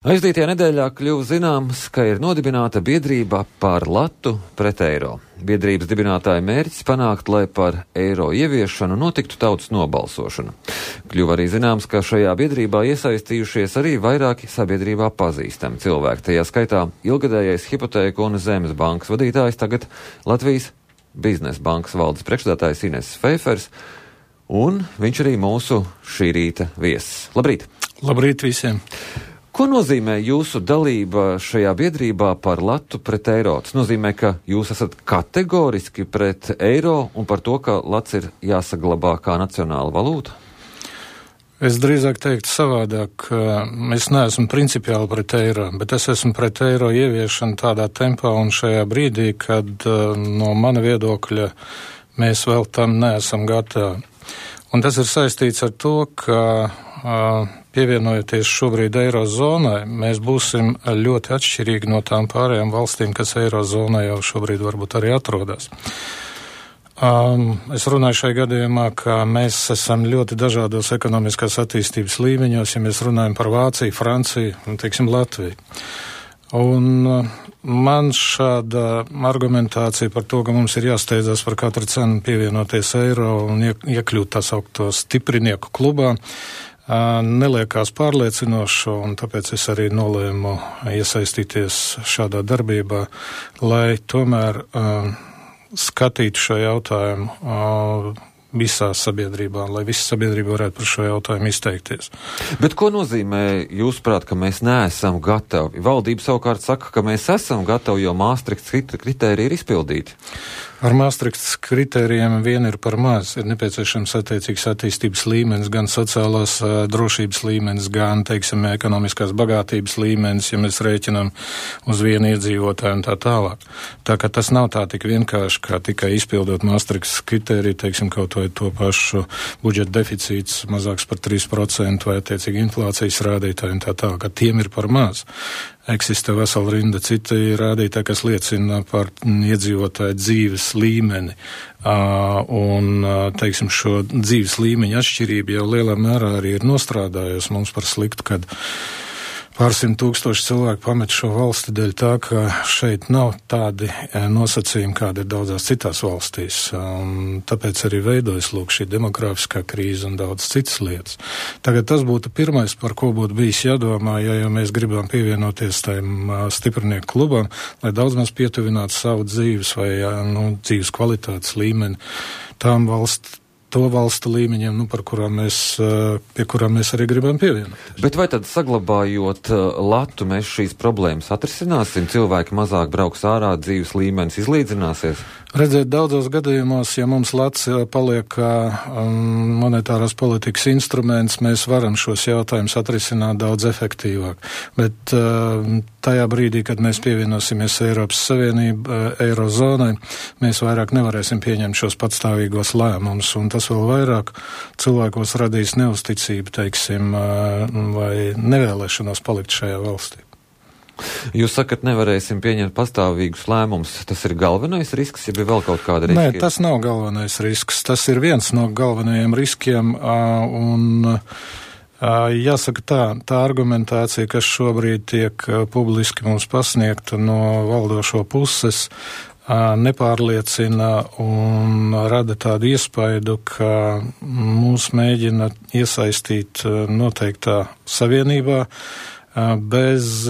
Aizdītajā nedēļā kļuva zināms, ka ir nodibināta biedrība par latu pret eiro. Biedrības dibinātāja mērķis panākt, lai par eiro ieviešanu notiktu tautas nobalsošana. Kļuva arī zināms, ka šajā biedrībā iesaistījušies arī vairāki sabiedrībā pazīstami cilvēki. Tajā skaitā ilgadējais Hipotēku un Zemes bankas vadītājs, tagad Latvijas Biznesa bankas valdes priekšsēdētājs Ines Feifers, un viņš arī mūsu šī rīta viesis. Labrīt! Labrīt visiem! Ko nozīmē jūsu dalība šajā biedrībā par latu pret eiro? Tas nozīmē, ka jūs esat kategoriski pret eiro un par to, ka lats ir jāsaglabā kā nacionāla valūta? Es drīzāk teiktu savādāk, es neesmu principiāli pret eiro, bet es esmu pret eiro ieviešanu tādā tempā un šajā brīdī, kad no mana viedokļa mēs vēl tam neesam gatavi. Un tas ir saistīts ar to, ka pievienojoties šobrīd eirozonai, mēs būsim ļoti atšķirīgi no tām pārējām valstīm, kas eirozonai jau šobrīd varbūt arī atrodas. Es runāju šai gadījumā, ka mēs esam ļoti dažādos ekonomiskās attīstības līmeņos, ja mēs runājam par Vāciju, Franciju un, teiksim, Latviju. Un man šāda argumentācija par to, ka mums ir jāsteidzās par katru cenu pievienoties eiro un iekļūt tā saukto stiprinieku klubā, neliekās pārliecinoši, un tāpēc es arī nolēmu iesaistīties šādā darbībā, lai tomēr skatītu šo jautājumu visā sabiedrībā, lai visa sabiedrība varētu par šo jautājumu izteikties. Bet ko nozīmē, jūsuprāt, ka mēs neesam gatavi? Valdība savukārt saka, ka mēs esam gatavi, jo Maastrichtas kritēriji ir izpildīti. Ar Maastrichtas kritērijiem vien ir par maz. Ir nepieciešams attiecīgs attīstības līmenis, gan sociālās drošības līmenis, gan, teiksim, ekonomiskās bagātības līmenis, ja mēs rēķinām uz vienu iedzīvotāju un tā tālāk. Tā ka tas nav tā tik vienkārši, kā tikai izpildot Maastrichtas kritēriju, teiksim, kaut vai to pašu budžeta deficīts mazāks par 3% vai attiecīgi inflācijas rādītāji un tā tālāk, ka tiem ir par maz. Eksistē vesela rinda citi rādītāji, kas liecina par iedzīvotāju dzīves līmeni. Un, teiksim, šo dzīves līmeņa atšķirība jau lielā mērā arī ir nostrādājusi mums par sliktu, kad pārsimt tūkstoši cilvēku pamet šo valsti dēļ tā, ka šeit nav tādi nosacījumi, kādi ir daudzās citās valstīs. Un tāpēc arī veidojas lūk šī demogrāfiskā krīze un daudz citas lietas. Tagad tas būtu pirmais, par ko būtu bijis jādomā, ja mēs gribam pievienoties tajam stiprinieku klubam, lai daudz maz pietuvinātu savu dzīves vai dzīves kvalitātes līmeni tām to valstu līmeņiem, pie kurām mēs arī gribam pievienoties. Bet vai tad saglabājot latu, mēs šīs problēmas atrisināsim? Cilvēki mazāk brauks ārā, dzīves līmenis izlīdzināsies? Redzēt, daudzos gadījumos, ja mums lats paliek monetārās politikas instruments, mēs varam šos jautājumus atrisināt daudz efektīvāk. Bet tajā brīdī, kad mēs pievienosimies Eiropas Savienību, eirozonai, mēs vairāk nevarēsim pieņemt šos patstāvīgos lēmumus, un tas vēl vairāk cilvēkos radīs neusticību, teiksim, vai nevēlēšanos palikt šajā valstī. Jūs sakat, nevarēsim pieņemt pastāvīgus lēmumus. Tas ir galvenais risks, ja bija vēl kaut kāda riska? Nē, tas nav galvenais risks. Tas ir viens no galvenajiem riskiem, un jāsaka tā argumentācija, kas šobrīd tiek publiski mums pasniegta no valdošo puses, nepārliecina un rada tādu iespaidu, ka mūs mēģina iesaistīt noteiktā savienībā, bez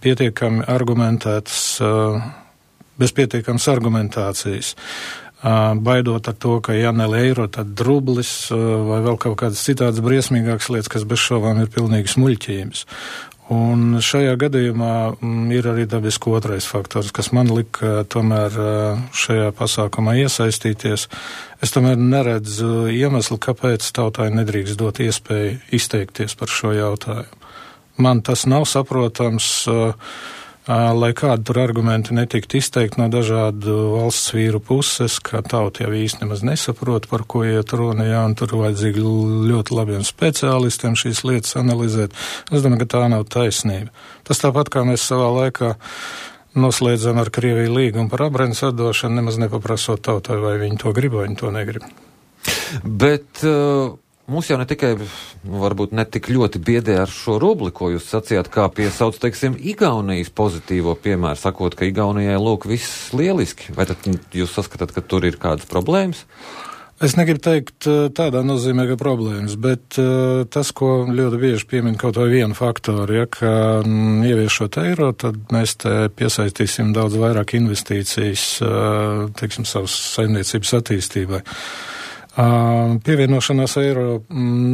pietiekami argumentācijas, baidot ar to, ka ja ne eiro, tad rublis vai vēl kaut kādas citādas briesmīgākas lietas, kas bez šaubām ir pilnīgas muļķības. Un šajā gadījumā ir arī dabiski otrais faktors, kas man lika tomēr šajā pasākumā iesaistīties. Es tomēr neredzu iemeslu, kāpēc tautai nedrīkst dot iespēju izteikties par šo jautājumu. Man tas nav saprotams, lai kādi tur argumenti netiktu izteikti no dažādu valsts vīru puses, ka tauta jau īsti nemaz nesaprot, par ko iet runa, un tur vajadzīgi ļoti labiem speciālistiem šīs lietas analizēt. Es domāju, ka tā nav taisnība. Tas tāpat, kā mēs savā laikā noslēdzam ar Krieviju līgumu par abrēnas atdošanu, nemaz nepaprasot tautai, vai viņi to grib, vai viņi to negrib. Bet mūs jau ne tikai, varbūt ne tik ļoti biedē ar šo rubli, ko jūs sacījāt, kā piesauc, teiksim, Igaunijas pozitīvo piemēru, sakot, ka Igaunijai lūk viss lieliski. Vai tad jūs saskatāt, ka tur ir kādas problēmas? Es negribu teikt tādā nozīmē, ka problēmas, bet tas, ko ļoti bieži piemin kaut vai vienu faktoru, ja, ka ieviešot eiro, tad mēs te piesaistīsim daudz vairāk investīcijas, teiksim, savas saimniecības attīstībai. Pievienošanās eiro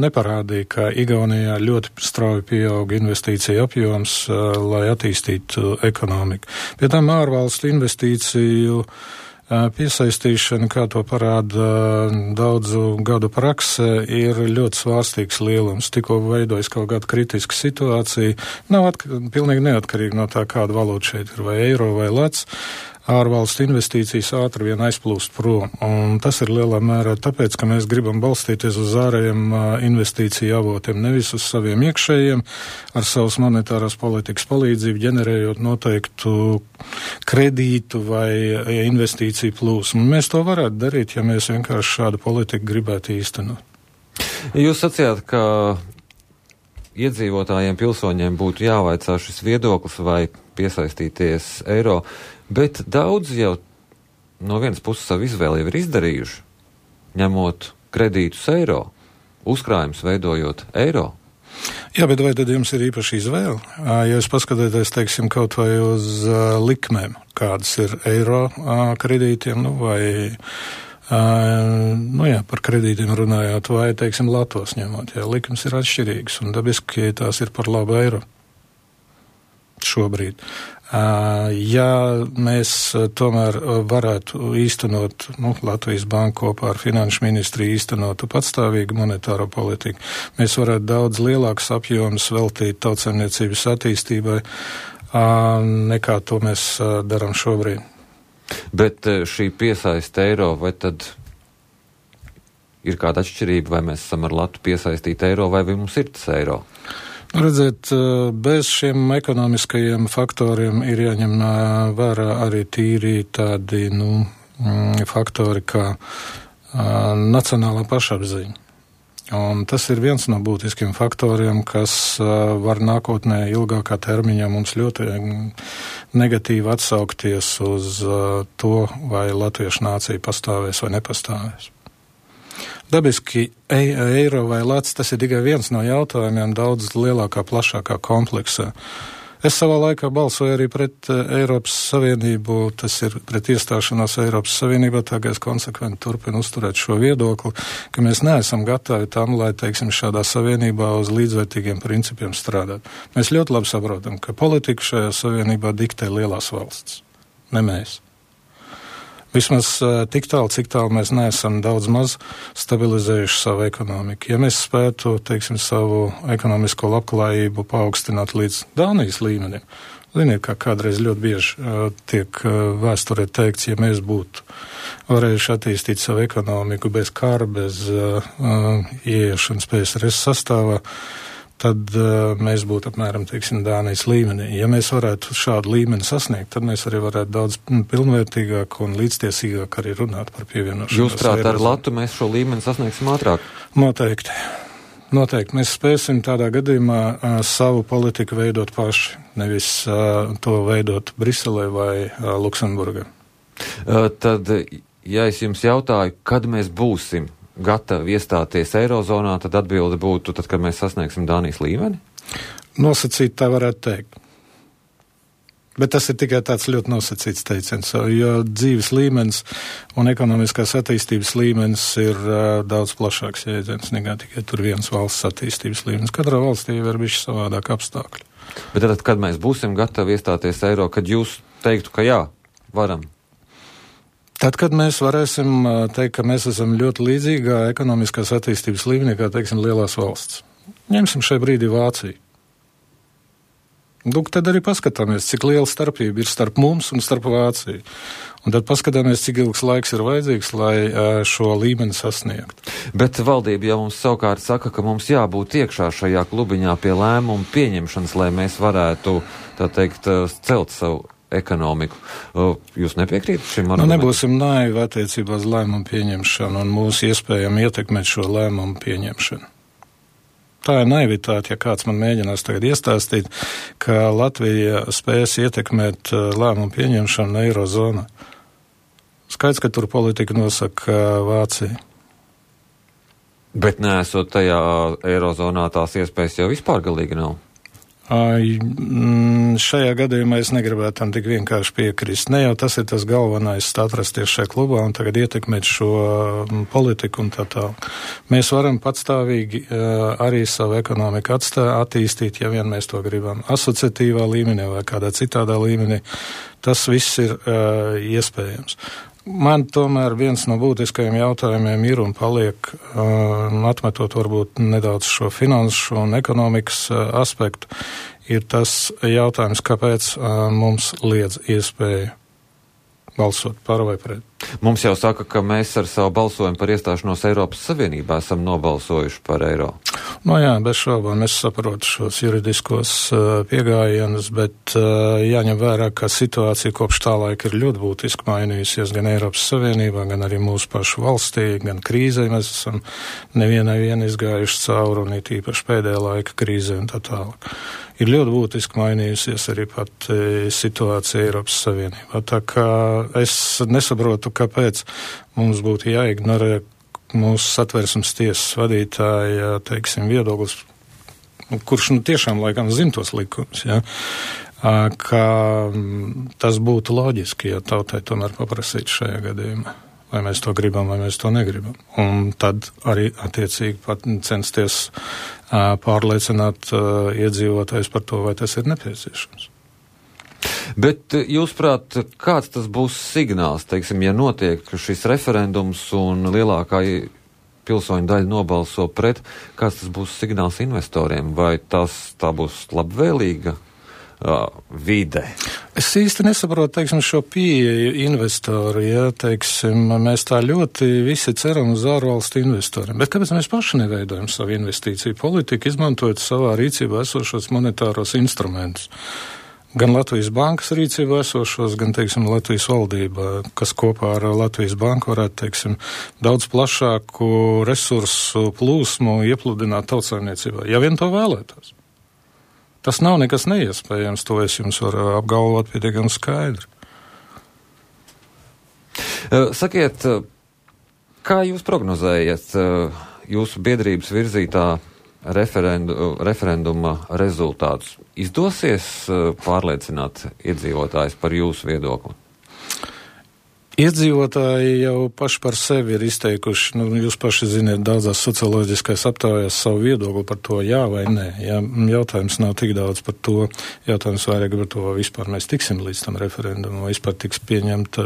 neparādīja, ka Igaunijā ļoti strauji pieauga investīcija apjoms, lai attīstītu ekonomiku. Pie tām ārvalstu investīciju piesaistīšana, kā to parāda daudzu gadu prakse, ir ļoti svārstīgs lielums. Tikko veidojas kaut kāda kritiska situācija, nav pilnīgi neatkarīgi no tā, kāda valūta šeit ir, vai eiro vai lats. Ārvalstu investīcijas ātri vien aizplūst prom, un tas ir lielā mērā tāpēc, ka mēs gribam balstīties uz ārējiem investīciju avotiem, nevis uz saviem iekšējiem, ar savas monetārās politikas palīdzību, ģenerējot noteiktu kredītu vai investīciju plūsmu. Mēs to varētu darīt, ja mēs vienkārši šādu politiku gribētu īstenot. Jūs sacījāt, ka iedzīvotājiem, pilsoņiem būtu jāvaicā šis viedoklis vai piesaistīties eiro, bet daudz jau no vienas puses savu izvēli jau ir izdarījuši, ņemot kredītus eiro, uzkrājumus veidojot eiro. Jā, bet vai tad jums ir īpaši izvēle? Ja jūs paskatāties, teiksim, kaut vai uz likmēm, kādas ir eiro kredītiem, par kredītiem runājot, vai, teiksim, latos ņemot, jā, likmes ir atšķirīgas, un dabiski tās ir par labu eiro šobrīd. Ja mēs tomēr varētu īstenot, Latvijas Banka kopā ar Finanšu ministriju īstenotu patstāvīgu monetāro politiku, mēs varētu daudz lielākus apjomus veltīt tautsaimniecības attīstībai, nekā to mēs darām šobrīd. Bet šī piesaiste eiro, vai tad ir kāda atšķirība, vai mēs esam ar latu piesaistīt eiro, vai mums ir tas eiro? Redziet, bez šiem ekonomiskajiem faktoriem ir jāņem vērā arī tīri tādi, faktori kā nacionālā pašapziņa. Un tas ir viens no būtiskiem faktoriem, kas var nākotnē ilgākā termiņā mums ļoti negatīvi atsaukties uz to, vai latviešu nācija pastāvēs vai nepastāvēs. Dabiski eiro vai lats, tas ir tikai viens no jautājumiem daudz lielākā, plašākā kompleksā. Es savā laikā balsoju arī pret Eiropas Savienību, tas ir pret iestāšanos Eiropas Savienībā, tagad es konsekventi turpinu uzturēt šo viedokli, ka mēs neesam gatavi tam, lai, teiksim, šādā savienībā uz līdzvērtīgiem principiem strādāt. Mēs ļoti labi saprotam, ka politiku šajā savienībā diktē lielās valsts, ne mēs. Vismaz tik tālu, cik tālu mēs neesam daudz maz stabilizējuši savu ekonomiku. Ja mēs spētu, teiksim, savu ekonomisko labklājību paaugstināt līdz Dānijas līmenim, ziniet, kā kādreiz ļoti bieži tiek vēsturē teikts, ja mēs būtu varējuši attīstīt savu ekonomiku bez kara, bez ieiešanas PSRS sastāvā, tad mēs būtu apmēram, teiksim, Dānijas līmenī. Ja mēs varētu šādu līmeni sasniegt, tad mēs arī varētu daudz pilnvērtīgāk un līdztiesīgāk arī runāt par pievienošanos. Jūs prāt, ar latu mēs šo līmeni sasniegsim ātrāk? Noteikti. Mēs spēsim tādā gadījumā savu politiku veidot paši, nevis to veidot Briselē vai Luksemburgā. Tad, ja es jums jautāju, kad mēs būsim gatavi iestāties Eirozonā, tad atbilde būtu, tad, kad mēs sasniegsim Dānijas līmeni? Nosacīt tā varētu teikt. Bet tas ir tikai tāds ļoti nosacīts teiciens, jo dzīves līmenis un ekonomiskās attīstības līmenis ir daudz plašāks jēdziens, nekā tikai tur viens valsts attīstības līmenis. Katrā valstī ir bišķi savādāk apstākļi. Bet tad, kad mēs būsim gatavi iestāties eiro, kad jūs teiktu, ka jā, varam? Tad, kad mēs varēsim teikt, ka mēs esam ļoti līdzīgā ekonomiskās attīstības līmenī, kā, teiksim, lielās valsts. Ņemsim šai brīdī Vāciju. Tad arī paskatāmies, cik liela starpība ir starp mums un starp Vāciju. Un tad paskatāmies, cik ilgs laiks ir vajadzīgs, lai šo līmeni sasniegtu. Bet valdība jau mums savukārt saka, ka mums jābūt iekšā šajā klubiņā pie lēmumu pieņemšanas, lai mēs varētu, tā teikt, celt savu ekonomiku. Jūs nepiekrītat šim argumentam? Nebūsim naivi attiecībā uz lēmumu pieņemšanu un mūsu iespējām ietekmēt šo lēmumu pieņemšanu. Tā ir naivitāte, ja kāds man mēģinās tagad iestāstīt, ka Latvija spēs ietekmēt lēmumu pieņemšanu Eirozonā. Skaidrs, ka tur politika nosaka Vācija. Bet neesot tajā Eirozonā tās iespējas jau vispār galīgi nav? Šajā gadījumā es negribētu tam tik vienkārši piekrist. Ne jau tas ir tas galvenais atrasties šajā klubā un tagad ietekmēt šo politiku un tā tālāk. Mēs varam patstāvīgi arī savu ekonomiku attīstīt, ja vien mēs to gribam. Asociatīvā līmenī vai kādā citādā līmenī. Tas viss ir iespējams. Man tomēr viens no būtiskajiem jautājumiem ir un paliek, atmetot varbūt nedaudz šo finanšu un ekonomikas aspektu, ir tas jautājums, kāpēc mums liedz iespēju balsot par vai pret. Mums jau saka, ka mēs ar savu balsojumu par iestāšanos Eiropas Savienībā esam nobalsojuši par eiro. Jā, bez šaubām es saprotu šos juridiskos piegājienus, bet jāņem vērā, ka situācija kopš tā laika ir ļoti būtiski mainījusies gan Eiropas Savienībā, gan arī mūsu pašu valstī, gan krīzē mēs esam nevienai izgājuši cauri un it īpaši pēdējā laika krīzē un tā tālāk. Ir ļoti būtiski mainījusies arī pat situācija Eiropas Savienībā. Tā kā es nesaprotu, kāpēc mums būtu jāignorē mūsu Satversmes tiesas vadītāja, teiksim, viedoklis, kurš tiešām laikam zina tos likumus, ja, ka tas būtu loģiski, ja tautai tomēr paprasīt šajā gadījumā. Vai mēs to gribam, vai mēs to negribam. Un tad arī attiecīgi pat censties pārliecināt iedzīvotājus par to, vai tas ir nepieciešams. Bet jūsuprāt, kāds tas būs signāls, teiksim, ja notiek šis referendums un lielākā pilsoņu daļa nobalso pret, kāds tas būs signāls investoriem? Vai tā būs labvēlīga vide? Es īsti nesaprotu, teiksim, šo pieeju investoru, ja, teiksim, mēs tā ļoti visi ceram uz ārvalstu investoriem. Bet kāpēc mēs paši neveidojam savu investīciju politiku, izmantojot savā rīcībā esošos monetāros instrumentus? Gan Latvijas bankas rīcībā esošos, gan, teiksim, Latvijas valdībā, kas kopā ar Latvijas banku varētu, teiksim, daudz plašāku resursu plūsmu iepludināt tautsaimniecībā, ja vien to vēlētos. Tas nav nekas neiespējams, to es jums varu apgalvot pietiekami skaidri. Sakiet, kā jūs prognozējat jūsu biedrības virzītā referenduma rezultātus? Izdosies pārliecināt iedzīvotājus par jūsu viedokli? Iedzīvotāji jau paši par sevi ir izteikuši, jūs paši ziniet, daudzās socioloģiskās aptaujās savu viedokli par to, jā vai nē. Jā, jautājums nav tik daudz par to, jautājums vairāk par to, vai vispār mēs tiksim līdz tam referendumam, vai vispār tiks pieņemt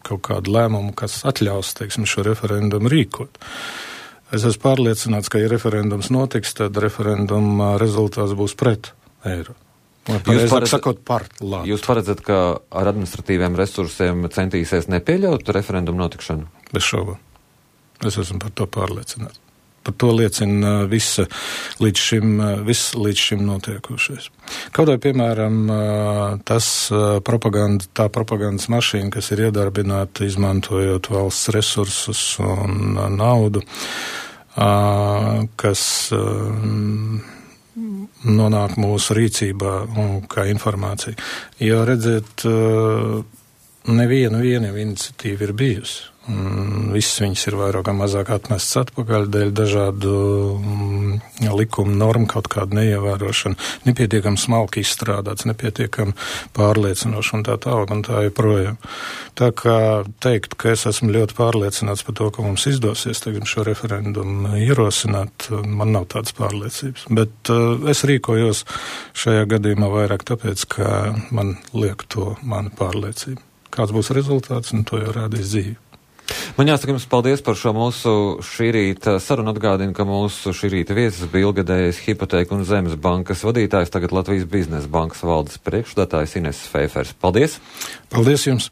kaut kādu lēmumu, kas atļaus, teiksim, šo referendumu rīkot. Es esmu pārliecināts, ka, ja referendums notiks, tad referenduma rezultāts būs pret eiro. Jūs paredzat, ka ar administratīviem resursiem centīsies nepieļaut referendumu notikšanu? Bez šaubām. Es esmu par to pārliecināts. Par to liecina viss līdz šim notiekošais. Kaut vai, piemēram, tā propagandas mašīna, kas ir iedarbināta izmantojot valsts resursus un naudu, kas nonāk mūsu rīcībā kā informācija. Jo redziet, neviena iniciatīva ir bijusi. Visas viņas ir vairāk vai mazāk atmestas atpakaļ dēļ dažādu likumu normu, kaut kādu neievērošanu, nepietiekami smalki izstrādāts, nepietiekami pārliecinoši un tā tālāk un tā joprojām. Tā kā teikt, ka es esmu ļoti pārliecināts par to, ka mums izdosies tagad šo referendumu ierosināt, man nav tādas pārliecības. Bet es rīkojos šajā gadījumā vairāk tāpēc, ka man liek to mana pārliecība. Kāds būs rezultāts, to jau rādīs dzīve. Man jāsaka jums paldies par šo mūsu šī rīta sarunu. Atgādinu, ka mūsu šī rīta viesis bija ilgadējais Hipotēku un Zemes bankas vadītājs, tagad Latvijas Biznesa bankas valdes priekšsēdētājs Ines Feifers. Paldies! Paldies jums!